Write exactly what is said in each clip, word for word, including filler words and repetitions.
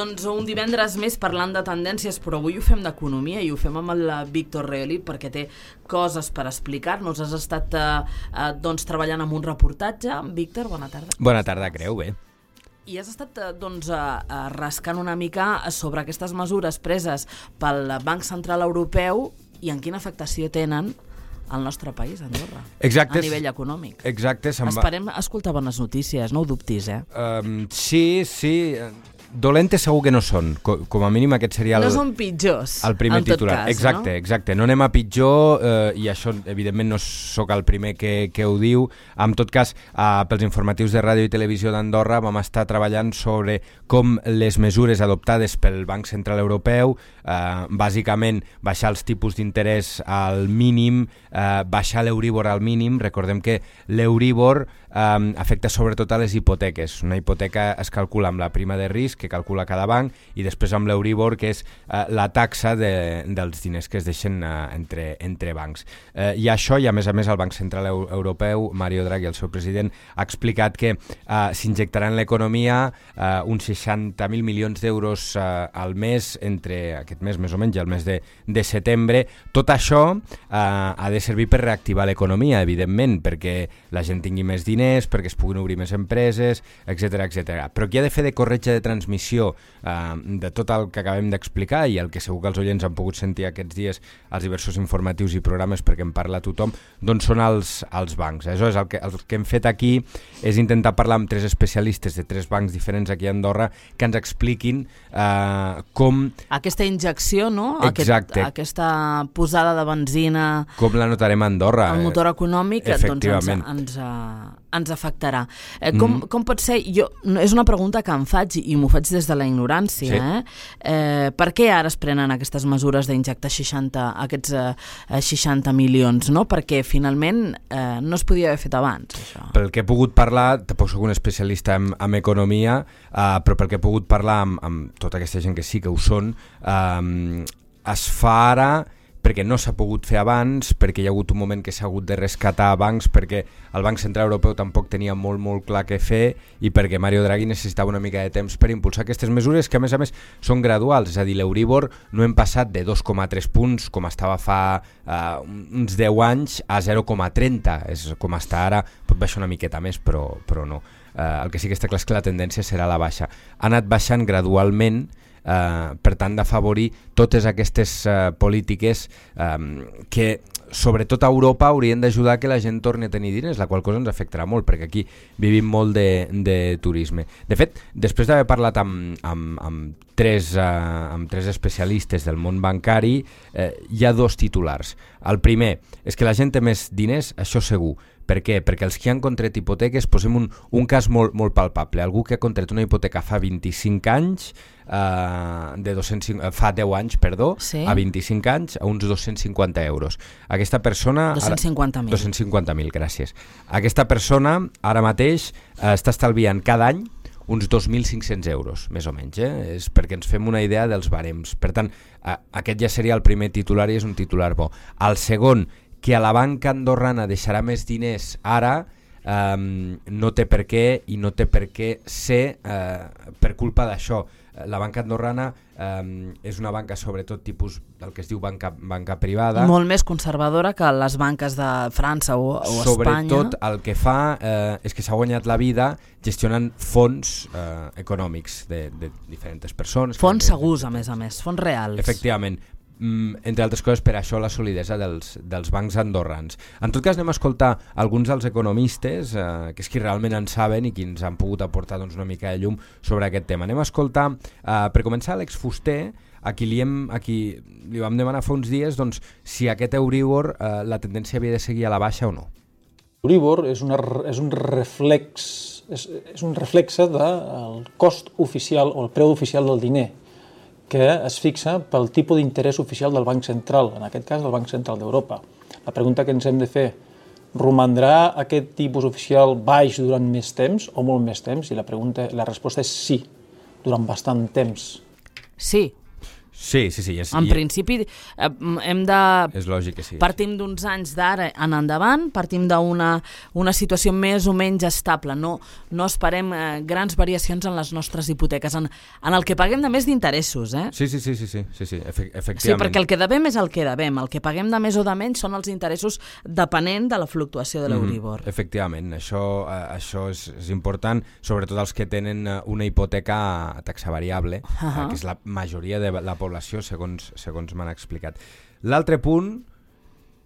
Doncs un divendres més parlant de tendències, però avui ho fem d'economia i ho fem amb el Víctor Reolí perquè té coses per explicar-nos. Has estat eh, doncs, treballant en un reportatge. Víctor, bona tarda. Bona tarda, creu, bé. I has estat doncs, eh, rascant una mica sobre aquestes mesures preses pel Banc Central Europeu i en quina afectació tenen al nostre país, Andorra, Exacte, a nivell econòmic. Exacte. Esperem escoltar bones notícies, no ho dubtis, eh? Um, sí, sí... Dolentes segur que no són, com a mínim aquest seria el, no són pitjors, el primer en tot titular. cas, exacte, no? exacte, no anem a pitjor eh, i això evidentment no sóc el primer que, que ho diu. En tot cas, eh, pels informatius de ràdio i televisió d'Andorra vam estar treballant sobre com les mesures adoptades pel Banc Central Europeu, eh, bàsicament baixar els tipus d'interès al mínim, eh, baixar l'Euríbor al mínim. Recordem que l'Euríbor eh, afecta sobretot a les hipoteques. Una hipoteca es calcula amb la prima de risc que calcula cada banc i després amb l'Euríbor, que és eh, la taxa de, dels diners que es deixen eh, entre, entre bancs. Eh, I això, i a més a més el Banc Central Europeu, Mario Draghi, el seu president, ha explicat que eh, s'injectarà en l'economia eh, uns seixanta mil milions d'euros eh, al mes, entre aquest mes més o menys i el mes de, de setembre. Tot això eh, ha de servir per reactivar l'economia, evidentment, perquè la gent tingui més diners, perquè es puguin obrir més empreses, etcètera, etcètera. Però qui ha de fer de corretja de transmissió eh, de tot el que acabem d'explicar i el que segur que els oients han pogut sentir aquests dies als diversos informatius i programes perquè en parla tothom, doncs són els, els bancs. Aleshores, el que, el que hem fet aquí és intentar parlar amb tres especialistes de tres bancs diferents aquí a Andorra que ens expliquin eh, com... Aquesta injecció, no? Exacte. Aquest, aquesta posada de benzina... Com la notarem a Andorra. El motor econòmic, doncs ens, ens, ens afectarà. Eh, com, mm. com pot ser... Jo, és una pregunta que em faig i m'ho faig des de la ignorància. Sí. Eh? Eh, per què ara es prenen aquestes mesures d'injectar seixanta, aquests eh, seixanta milions? No? Perquè finalment eh, no es podia haver fet abans, això. Pel que he pogut parlar, tampoc soc un especialista en, en economia, eh, però pel que he pogut parlar amb, amb tota aquesta gent que sí que ho són, eh, es fa ara perquè no s'ha pogut fer abans, perquè hi ha hagut un moment que s'ha hagut de rescatar bancs, perquè el Banc Central Europeu tampoc tenia molt, molt clar què fer i perquè Mario Draghi necessitava una mica de temps per impulsar aquestes mesures que, a més a més, són graduals. És a dir, l'Euríbor no hem passat de dos coma tres punts, com estava fa uh, uns deu anys, a zero coma trenta. És com està ara, pot baixar una miqueta més, però, però no. Uh, el que sí que està clar és que la tendència serà la baixa. Ha anat baixant gradualment, Uh, per tant d'afavorir totes aquestes uh, polítiques um, que sobretot a Europa haurien d'ajudar que la gent torni a tenir diners, la qual cosa ens afectarà molt perquè aquí vivim molt de, de turisme. De fet, després d'haver parlat amb, amb, amb, tres, uh, amb tres especialistes del món bancari, uh, hi ha dos titulars. El primer és que la gent té més diners, això segur. Per què? Perquè els que han contret hipoteques, posem un, un cas molt, molt palpable. Algú que ha contret una hipoteca fa vint-i-cinc anys, eh, de dos-cents cinquanta, fa deu anys, perdó, sí. A vint-i-cinc anys, a uns dos-cents cinquanta euros. Aquesta persona... dos-cents cinquanta mil. dos-cents cinquanta mil, gràcies. Aquesta persona ara mateix eh, està estalviant cada any uns dos mil cinc-cents euros, més o menys. Eh? És perquè ens fem una idea dels barems. Per tant, eh, aquest ja seria el primer titular i és un titular bo. El segon, que a la banca andorrana deixarà més diners ara, um, no té per què i no té per què ser uh, per culpa d'això. La banca andorrana um, és una banca sobretot tipus del que es diu banca, banca privada. Molt més conservadora que les banques de França o, o Espanya. Sobretot el que fa eh, és que s'ha guanyat la vida gestionant fons eh, econòmics de, de diferents persones. Fons segurs, a més a més, fons reals. Efectivament. Mm, entre altres coses, per això la solidesa dels, dels bancs andorrans. En tot cas, anem a escoltar alguns dels economistes, eh, que és qui realment en saben i qui ens han pogut aportar doncs, una mica de llum sobre aquest tema. Anem a escoltar, eh, per començar, Àlex Fuster, a qui li, hem, a qui li vam demanar fa uns dies doncs, si aquest Euríbor eh, la tendència havia de seguir a la baixa o no. L'Euríbor és, una, és un reflex, és, és un reflexe del cost oficial o el preu oficial del diner, que es fixa pel tipus d'interès oficial del Banc Central, en aquest cas el Banc Central d'Europa. La pregunta que ens hem de fer, romandrà aquest tipus oficial baix durant més temps o molt més temps? I la, pregunta, la resposta és sí, durant bastant temps. Sí. Sí, sí, sí. És, en i... principi, eh, hem de... És lògic que sí. Partim d'uns anys d'ara en endavant, partim d'una una situació més o menys estable. No, no esperem eh, grans variacions en les nostres hipoteques, en, en el que paguem de més d'interessos. Eh? Sí, sí, sí, sí, sí, sí, sí, Efe efectivament. Sí, perquè el que devem és el que devem. El que paguem de més o de menys són els interessos depenent de la fluctuació de l'Euribor. Mm, efectivament, això, eh, això és, és important, sobretot els que tenen una hipoteca a taxa variable, uh -huh. eh, que és la majoria de la població, segons, segons m'han explicat. L'altre punt,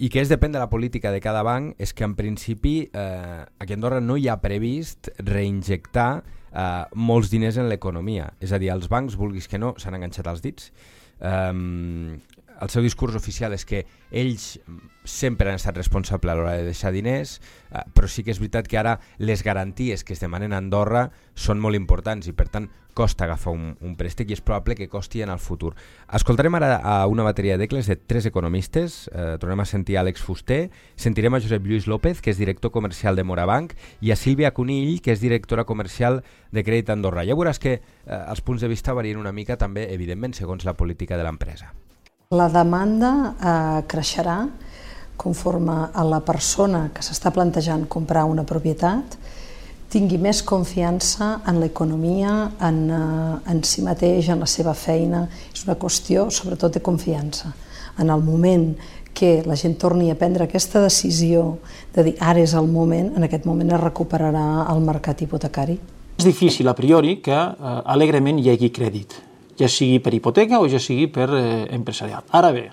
i que és depèn de la política de cada banc, és que en principi eh, aquí a Andorra no hi ha previst reinjectar eh, molts diners en l'economia. És a dir, els bancs, vulguis que no, s'han enganxat els dits. Um, el seu discurs oficial és que ells sempre han estat responsables a l'hora de deixar diners, uh, però sí que és veritat que ara les garanties que es demanen a Andorra són molt importants i per tant costa agafar un, un préstec i és probable que costi en el futur. Escoltarem ara a una bateria d'ecles de tres economistes, eh, tornem a sentir a Àlex Fuster, sentirem a Josep Lluís López, que és director comercial de Morabanc, i a Sílvia Conill, que és directora comercial de Crèdit Andorra. Ja veuràs que eh, els punts de vista varien una mica també, evidentment, segons la política de l'empresa. La demanda eh, creixerà conforme a la persona que s'està plantejant comprar una propietat tingui més confiança en l'economia, en, eh, en si mateix, en la seva feina. És una qüestió, sobretot, de confiança. En el moment que la gent torni a prendre aquesta decisió de dir ara és el moment, en aquest moment es recuperarà el mercat hipotecari. És difícil, a priori, que eh, alegrement hi hagi crèdit, ja sigui per hipoteca o ja sigui per eh, empresarial. Ara bé,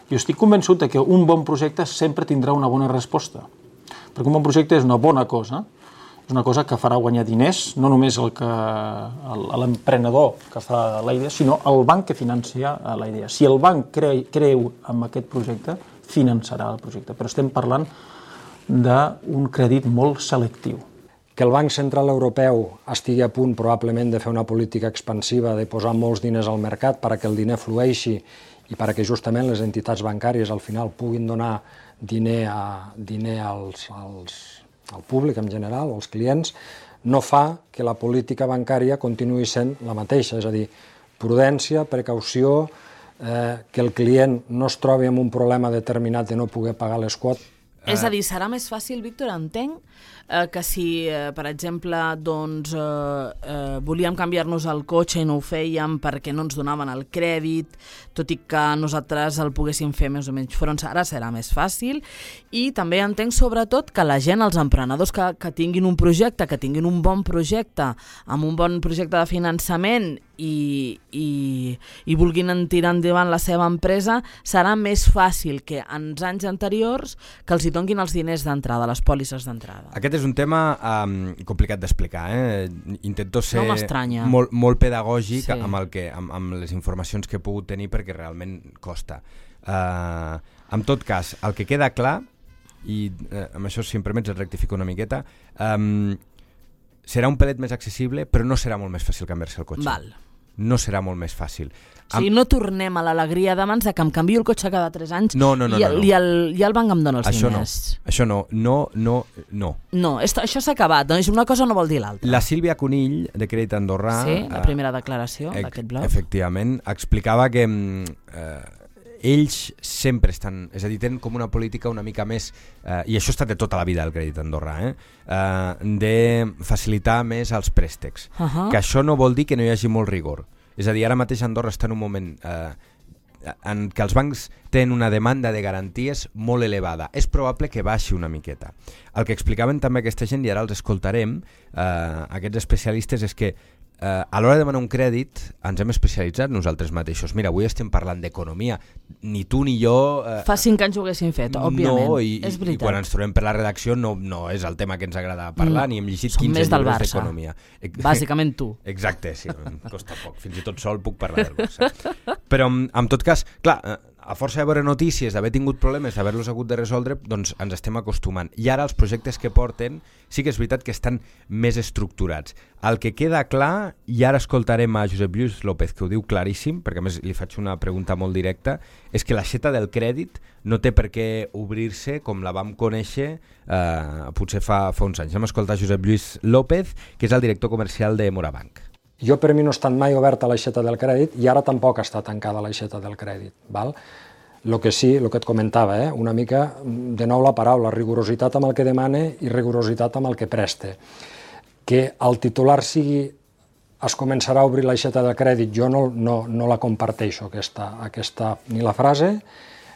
jo estic convençut que un bon projecte sempre tindrà una bona resposta, perquè un bon projecte és una bona cosa, és una cosa que farà guanyar diners, no només el que l'emprenedor que fa la idea, sinó el banc que financia la idea. Si el banc cre, creu en aquest projecte, finançarà el projecte, però estem parlant d'un crèdit molt selectiu. Que el Banc Central Europeu estigui a punt probablement de fer una política expansiva, de posar molts diners al mercat perquè el diner flueixi i perquè justament les entitats bancàries al final puguin donar diner, a, diner als, als, al públic en general, als clients, no fa que la política bancària continuï sent la mateixa, és a dir, prudència, precaució, eh, que el client no es trobi amb un problema determinat de no poder pagar les quotes. És a dir, serà més fàcil, Víctor, entenc, eh, que si, eh, per exemple, doncs, eh, eh, volíem canviar-nos el cotxe i no ho fèiem perquè no ens donaven el crèdit, tot i que nosaltres el poguéssim fer més o menys front, ara serà més fàcil. I també entenc, sobretot, que la gent, els emprenedors que, que tinguin un projecte, que tinguin un bon projecte, amb un bon projecte de finançament i, i, i vulguin tirar endavant la seva empresa, serà més fàcil que en anys anteriors que els hi donguin els diners d'entrada, les pòlisses d'entrada. Aquest és un tema um, complicat d'explicar. Eh? Intento ser no molt, molt pedagògic, sí, amb, el que, amb, amb les informacions que he pogut tenir perquè realment costa. Uh, en tot cas, el que queda clar, i uh, amb això si em permets et rectifico una miqueta, um, serà un pelet més accessible, però no serà molt més fàcil canviar-se el cotxe. Val. No serà molt més fàcil. O sigui, no tornem a l'alegria d'abans de que em canvio el cotxe cada tres anys no, no, no, i, el, no, no. i, el, i el banc em dona els això diners. No. Això no, no, no, no. No, esto, això s'ha acabat, doncs una cosa no vol dir l'altra. La Sílvia Conill, de Crèdit Andorrà... Sí, la primera declaració eh, d'aquest blog. Efectivament, explicava que eh, ells sempre estan, és a dir, tenen com una política una mica més, eh, i això ha estat de tota la vida el Crèdit Andorrà, eh, eh, de facilitar més els préstecs. Uh -huh. Que això no vol dir que no hi hagi molt rigor. És a dir, ara mateix Andorra està en un moment eh, en què els bancs tenen una demanda de garanties molt elevada. És probable que baixi una miqueta. El que explicaven també aquesta gent, i ara els escoltarem, eh, aquests especialistes, és que Uh, a l'hora de demanar un crèdit ens hem especialitzat nosaltres mateixos. Mira, avui estem parlant d'economia. Ni tu ni jo... Uh, Fa cinc anys ho haguéssim fet, òbviament. No, i, és i quan ens trobem per la redacció no, no és el tema que ens agrada parlar, no, ni hem llegit quinze llibres d'economia. Bàsicament tu. Exacte, sí, em costa poc. Fins i tot sol puc parlar del Barça. Però, en tot cas, clar, a força de veure notícies, d'haver tingut problemes, d'haver-los hagut de resoldre, doncs ens estem acostumant. I ara els projectes que porten sí que és veritat que estan més estructurats. El que queda clar, i ara escoltarem a Josep Lluís López, que ho diu claríssim, perquè a més li faig una pregunta molt directa, és que l'aixeta del crèdit no té per què obrir-se com la vam conèixer eh, potser fa, fa uns anys. Hem escoltat Josep Lluís López, que és el director comercial de Morabanc. Jo per mi no ha estat mai oberta l'aixeta del crèdit i ara tampoc està tancada l'aixeta del crèdit. Val? El que sí, el que et comentava, eh? una mica, de nou la paraula, rigorositat amb el que demane i rigorositat amb el que preste. Que el titular sigui es començarà a obrir l'aixeta del crèdit, jo no, no, no la comparteixo, aquesta, aquesta, ni la frase,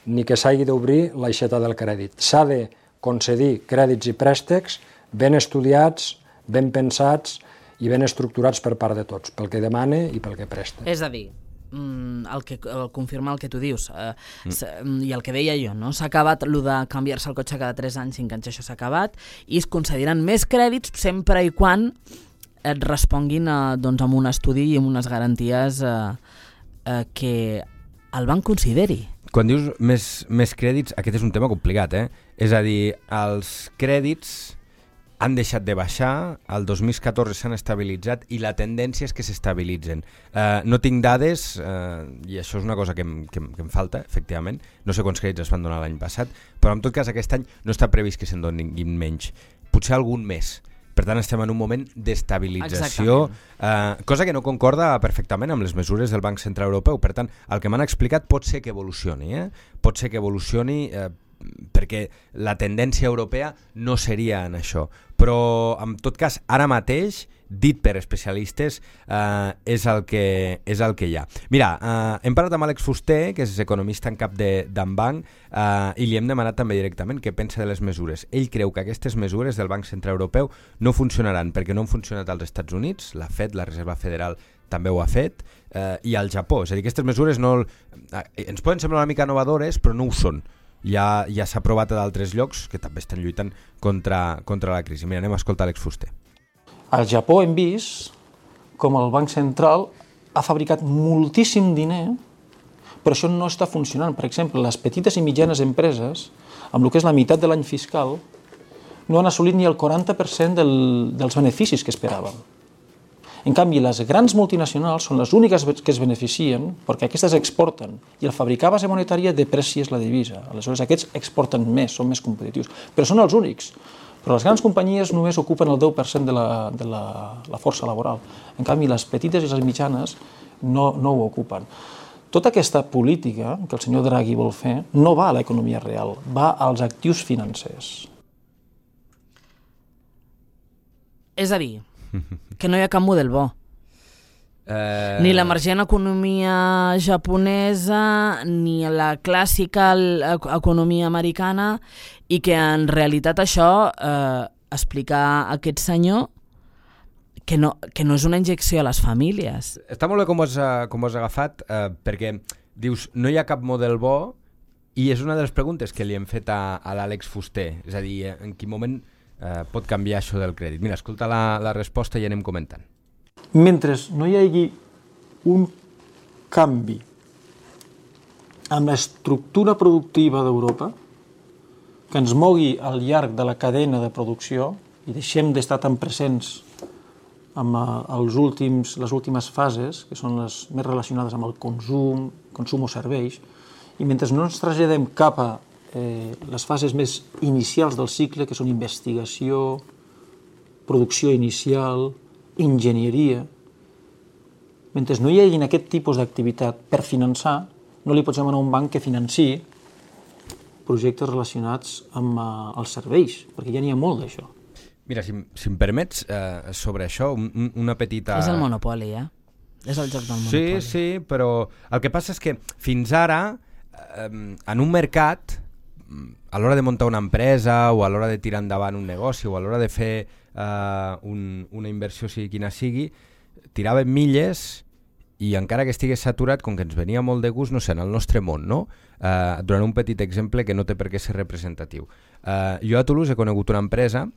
ni que s'hagi d'obrir l'aixeta del crèdit. S'ha de concedir crèdits i préstecs ben estudiats, ben pensats i ben estructurats per part de tots, pel que demane i pel que preste. És a dir, el que el confirma el que tu dius eh, mm. i el que deia jo, no? S'ha acabat el de canviar-se el cotxe cada tres anys, cinc anys, això s'ha acabat, i es concediran més crèdits sempre i quan et responguin eh, doncs, amb un estudi i amb unes garanties eh, eh, que el banc consideri. Quan dius més, més crèdits, aquest és un tema complicat, eh? És a dir, els crèdits han deixat de baixar, el dos mil catorze s'han estabilitzat i la tendència és que s'estabilitzen. Uh, no tinc dades, uh, i això és una cosa que em, que, em, que em falta, efectivament, no sé quants crèdits es van donar l'any passat, però en tot cas aquest any no està previst que se'n donin menys, potser algun més. Per tant, estem en un moment d'estabilització, uh, cosa que no concorda perfectament amb les mesures del Banc Central Europeu. Per tant, el que m'han explicat pot ser que evolucioni, eh? pot ser que evolucioni uh, perquè la tendència europea no seria en això, però en tot cas ara mateix, dit per especialistes, eh, és, el que, és el que hi ha. Mira, eh, hem parlat amb Àlex Fuster, que és economista en cap d'en Banc, eh, i li hem demanat també directament què pensa de les mesures. Ell creu que aquestes mesures del Banc Central Europeu no funcionaran perquè no han funcionat als Estats Units, la Fed, la Reserva Federal, també ho ha fet, eh, i al Japó. És a dir, aquestes mesures no, eh, ens poden semblar una mica innovadores, però no ho són. Ja, ja s'ha provat a d'altres llocs que també estan lluitant contra, contra la crisi. Mira, anem a escoltar Àlex Fuster. Al Japó hem vist com el Banc Central ha fabricat moltíssim diner, però això no està funcionant. Per exemple, les petites i mitjanes empreses, amb el que és la meitat de l'any fiscal, no han assolit ni el quaranta per cent del, dels beneficis que esperaven. En canvi, les grans multinacionals són les úniques que es beneficien perquè aquestes exporten i el fabricar base monetària deprecies la divisa. Aleshores, aquests exporten més, són més competitius, però són els únics. Però les grans companyies només ocupen el deu per cent de la, de la, la força laboral. En canvi, les petites i les mitjanes no, no ho ocupen. Tota aquesta política que el senyor Draghi vol fer no va a l'economia real, va als actius financers. És a dir, que no hi ha cap model bo. Uh... Ni l'emergent economia japonesa, ni la clàssica economia americana, i que en realitat això eh, explica a aquest senyor que no, que no és una injecció a les famílies. Està molt bé com ho has, com ho has agafat, eh, perquè dius, no hi ha cap model bo, i és una de les preguntes que li hem fet a, a l'Àlex Fuster, és a dir, en quin moment eh, pot canviar això del crèdit. Mira, escolta la, la resposta i anem comentant. Mentre no hi hagi un canvi amb l'estructura productiva d'Europa, que ens mogui al llarg de la cadena de producció i deixem d'estar tan presents amb els últims, les últimes fases, que són les més relacionades amb el consum, consum o serveis, i mentre no ens traslladem cap a eh, les fases més inicials del cicle, que són investigació, producció inicial, enginyeria, mentre no hi hagi aquest tipus d'activitat per finançar, no li pots demanar a un banc que financiï projectes relacionats amb uh, els serveis, perquè ja n'hi ha molt d'això. Mira, si, si em permets, eh, sobre això, un, una petita... És el monopoli, eh? És el joc del monopoli. Sí, sí, però el que passa és que fins ara, eh, en un mercat, a l'hora de muntar una empresa o a l'hora de tirar endavant un negoci o a l'hora de fer eh, un, una inversió, sigui quina sigui, tiràvem milles i encara que estigués saturat, com que ens venia molt de gust, no sé, en el nostre món, no? Uh, durant un petit exemple que no té per què ser representatiu. Uh, jo a Toulouse he conegut una empresa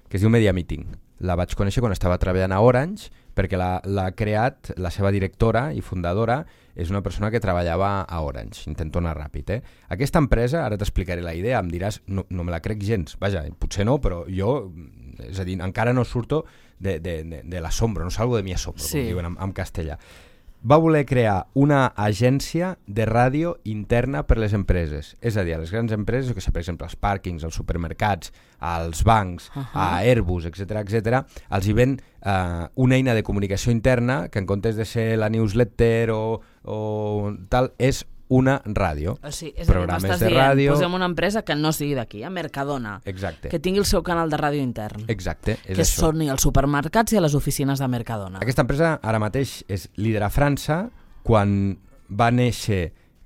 que es diu Media Meeting. La vaig conèixer quan estava treballant a Orange, perquè l'ha creat la seva directora i fundadora, és una persona que treballava a Orange. Intento anar ràpid, eh? Aquesta empresa, ara t'explicaré la idea, em diràs, no, no me la crec gens. Vaja, potser no, però jo, és a dir, encara no surto de, de, de, de l'asombro, no salgo de mi asombro, sí, com diuen en, en castellà. va voler crear una agència de ràdio interna per les empreses. És a dir, a les grans empreses, que sé, per exemple, els pàrquings, els supermercats, als bancs, uh-huh. a Airbus, etcètera, etcètera, els hi ven eh, una eina de comunicació interna que en comptes de ser la newsletter o, o tal, és una ràdio. O sigui, és programes a dir, de dient, ràdio. Posem una empresa que no sigui d'aquí, a Mercadona. Exacte. Que tingui el seu canal de ràdio intern. Exacte, és que això. Soni als supermercats i a les oficines de Mercadona. Aquesta empresa ara mateix és líder a França. Quan va néixer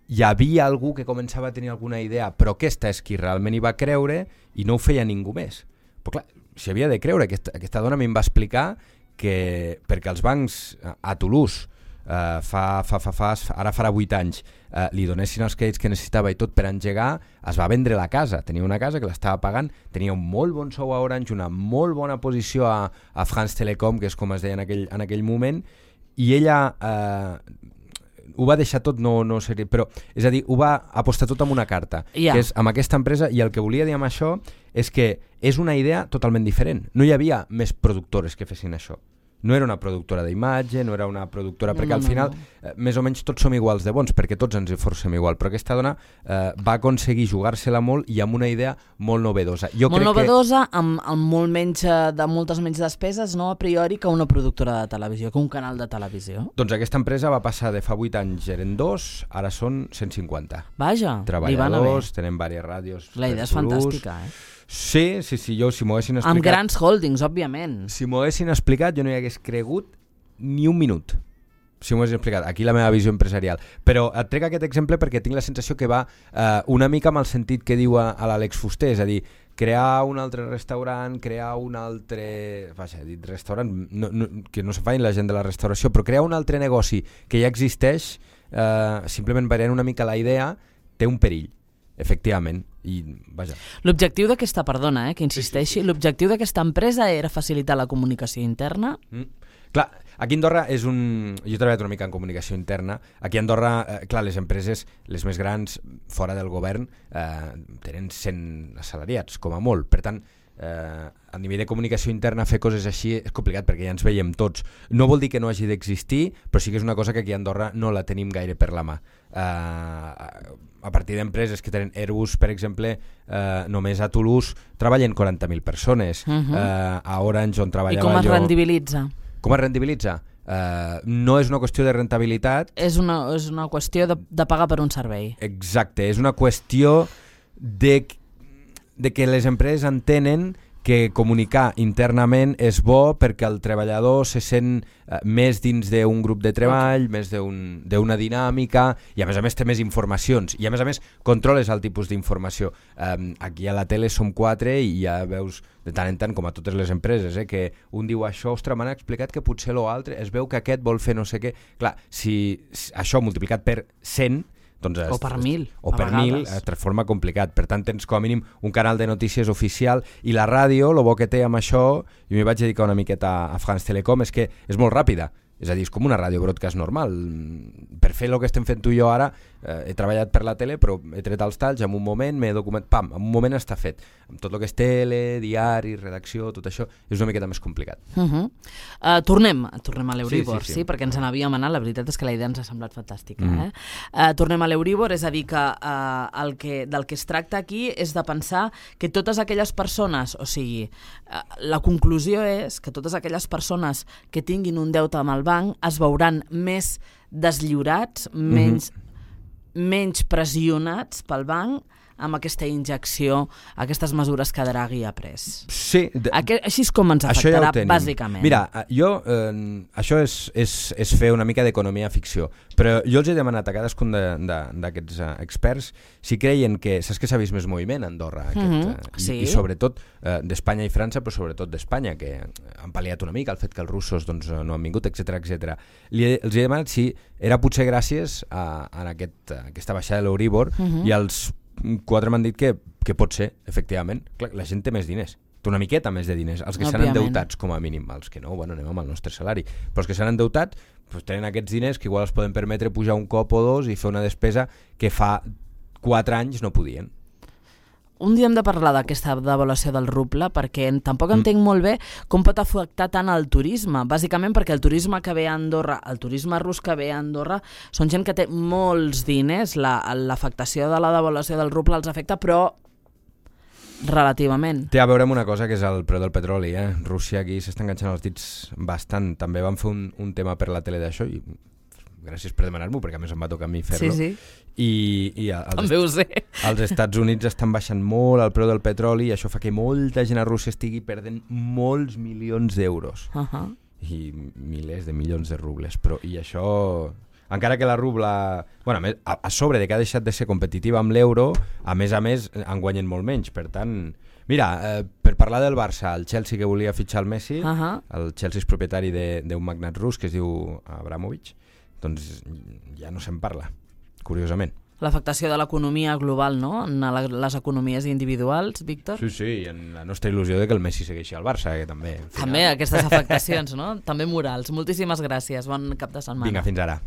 hi havia algú que començava a tenir alguna idea, però aquesta és qui realment hi va creure i no ho feia ningú més. Però clar, s'hi havia de creure. Aquesta, aquesta dona a mi em va explicar que perquè els bancs a Toulouse Uh, fa, fa, fa, fa, ara farà vuit anys uh, li donessin els crèdits que necessitava i tot per engegar, es va vendre la casa. Tenia una casa que l'estava pagant, tenia un molt bon sou a Orange, una molt bona posició a, a France Telecom, que és com es deia en aquell, en aquell moment, i ella uh, ho va deixar tot, no, no sé, però és a dir, ho va apostar tot amb una carta, yeah. que és amb aquesta empresa, i el que volia dir amb això és que és una idea totalment diferent. No hi havia més productores que fessin això. No era una productora d'imatge, no era una productora... No, perquè no, al final, no, no. Eh, més o menys tots som iguals de bons, perquè tots ens esforcem igual, però aquesta dona eh, va aconseguir jugar-se-la molt i amb una idea molt novedosa. Jo molt crec novedosa, que... amb, amb molt menys, de moltes menys despeses, no a priori, que una productora de televisió, que un canal de televisió. Doncs aquesta empresa va passar de fa vuit anys, eren dos, ara són cent cinquanta. Vaja, treballadors, tenen diverses ràdios. La idea és fantàstica, eh? Sí, sí, sí, jo si m'ho haguessin explicat... Amb grans holdings, òbviament. Si m'ho haguessin explicat, jo no hi hagués cregut ni un minut. Si m'ho haguessin explicat. Aquí la meva visió empresarial. Però et trec aquest exemple perquè tinc la sensació que va eh, una mica amb el sentit que diu a, a l'Àlex Fuster, és a dir, crear un altre restaurant, crear un altre... Vaja, he dit restaurant, no, no, que no se fa la gent de la restauració, però crear un altre negoci que ja existeix, eh, simplement variant una mica la idea, té un perill. Efectivament, i vaja. L'objectiu d'aquesta, perdona, eh, que insisteixi, sí, sí, sí. L'objectiu d'aquesta empresa era facilitar la comunicació interna? Mm. Clar, aquí a Andorra és un... Jo he treballat una mica en comunicació interna. Aquí a Andorra, eh, clar, les empreses, les més grans, fora del govern, eh, tenen cent assalariats, com a molt. Per tant, eh, a nivell de comunicació interna fer coses així és complicat perquè ja ens veiem tots. No vol dir que no hagi d'existir, però sí que és una cosa que aquí a Andorra no la tenim gaire per la mà. Eh, a partir d'empreses que tenen Airbus, per exemple, eh, només a Toulouse treballen quaranta mil persones. Uh-huh. eh, a Orange, on treballava jo... I com es jo... rendibilitza? Com es rendibilitza? Uh, no és una qüestió de rentabilitat. És una, és una qüestió de, de pagar per un servei. Exacte, és una qüestió de, de que les empreses entenen que comunicar internament és bo perquè el treballador se sent uh, més dins d'un grup de treball, okay. més d'una un, dinàmica, i a més a més té més informacions, i a més a més controles el tipus d'informació. Um, aquí a la tele som quatre i ja veus de tant en tant, com a totes les empreses, eh, que un diu això, ostres, m'han explicat que potser l'altre, es veu que aquest vol fer no sé què. Clar, si, si això multiplicat per cent, doncs es, o per mil, o per mil es transforma complicat. Per tant, tens com a mínim un canal de notícies oficial, i la ràdio, el bo que té amb això, jo m'hi vaig dedicar una miqueta a France Telecom, és que és molt ràpida. És a dir, és com una ràdio broadcast normal. Per fer el que estem fent tu i jo ara, eh, he treballat per la tele, però he tret els talls en un moment, m'he documentat, pam, en un moment està fet. Amb tot el que és tele, diari, redacció, tot això, és una miqueta més complicat. Uh-huh. uh, tornem, tornem a l'Euribor, sí, sí, sí. sí, perquè ens n'havíem anat, la veritat és que la idea ens ha semblat fantàstica. Mm. Eh? Uh, tornem a l'Euribor, és a dir, que, uh, el que del que es tracta aquí és de pensar que totes aquelles persones, o sigui, uh, la conclusió és que totes aquelles persones que tinguin un deute amb el banc es veuran més deslliurats, menys, mm-hmm. menys pressionats pel banc amb aquesta injecció, aquestes mesures que Draghi ha pres. Sí. De... Aquest, així és com ens afectarà, ja bàsicament. Mira, jo, eh, això és, és, és fer una mica d'economia ficció, però jo els he demanat a cadascun d'aquests uh, experts si creien que, saps que s'ha vist més moviment a Andorra, aquest, mm-hmm. uh, sí. i, i sobretot uh, d'Espanya i França, però sobretot d'Espanya, que han pal·liat una mica el fet que els russos doncs, no han vingut, etcètera etcètera. Els he demanat si era potser gràcies a, a, aquest, a aquesta baixada de l'Euribor, mm-hmm. i els quatre m'han dit que, que pot ser, efectivament. Clar, la gent té més diners, té una miqueta més de diners. Els que s'han endeutats, com a mínim, els que no, bueno, anem amb el nostre salari, però els que s'han endeutat doncs tenen aquests diners que igual es poden permetre pujar un cop o dos i fer una despesa que fa quatre anys no podien. un dia hem de parlar d'aquesta devaluació del ruble perquè tampoc entenc molt bé com pot afectar tant el turisme, bàsicament perquè el turisme que ve a Andorra, el turisme rus que ve a Andorra, són gent que té molts diners, l'afectació de la devaluació del ruble els afecta, però relativament. Té a veure amb una cosa que és el preu del petroli, eh? Rússia aquí s'està enganxant els dits bastant, també van fer un, un tema per la tele d'això i gràcies per demanar-m'ho, perquè a més em va tocar a mi fer-lo. Sí, sí. I, i als, també ho sé. als Estats Units estan baixant molt el preu del petroli i això fa que molta gent a Rússia estigui perdent molts milions d'euros. Uh-huh. I milers de milions de rubles. Però, i això, encara que la rubla... Bueno, a, més, a, a sobre de que ha deixat de ser competitiva amb l'euro, a més a més en guanyen molt menys. Per tant, mira, eh, per parlar del Barça, el Chelsea que volia fitxar el Messi, uh-huh. el Chelsea és propietari d'un magnat rus que es diu Abramovich, doncs ja no se'n parla, curiosament. L'afectació de l'economia global, no? En les economies individuals, Víctor? Sí, sí, i en la nostra il·lusió de que el Messi segueixi al Barça, que també... Final... També aquestes afectacions, no? També morals. Moltíssimes gràcies, bon cap de setmana. Vinga, fins ara.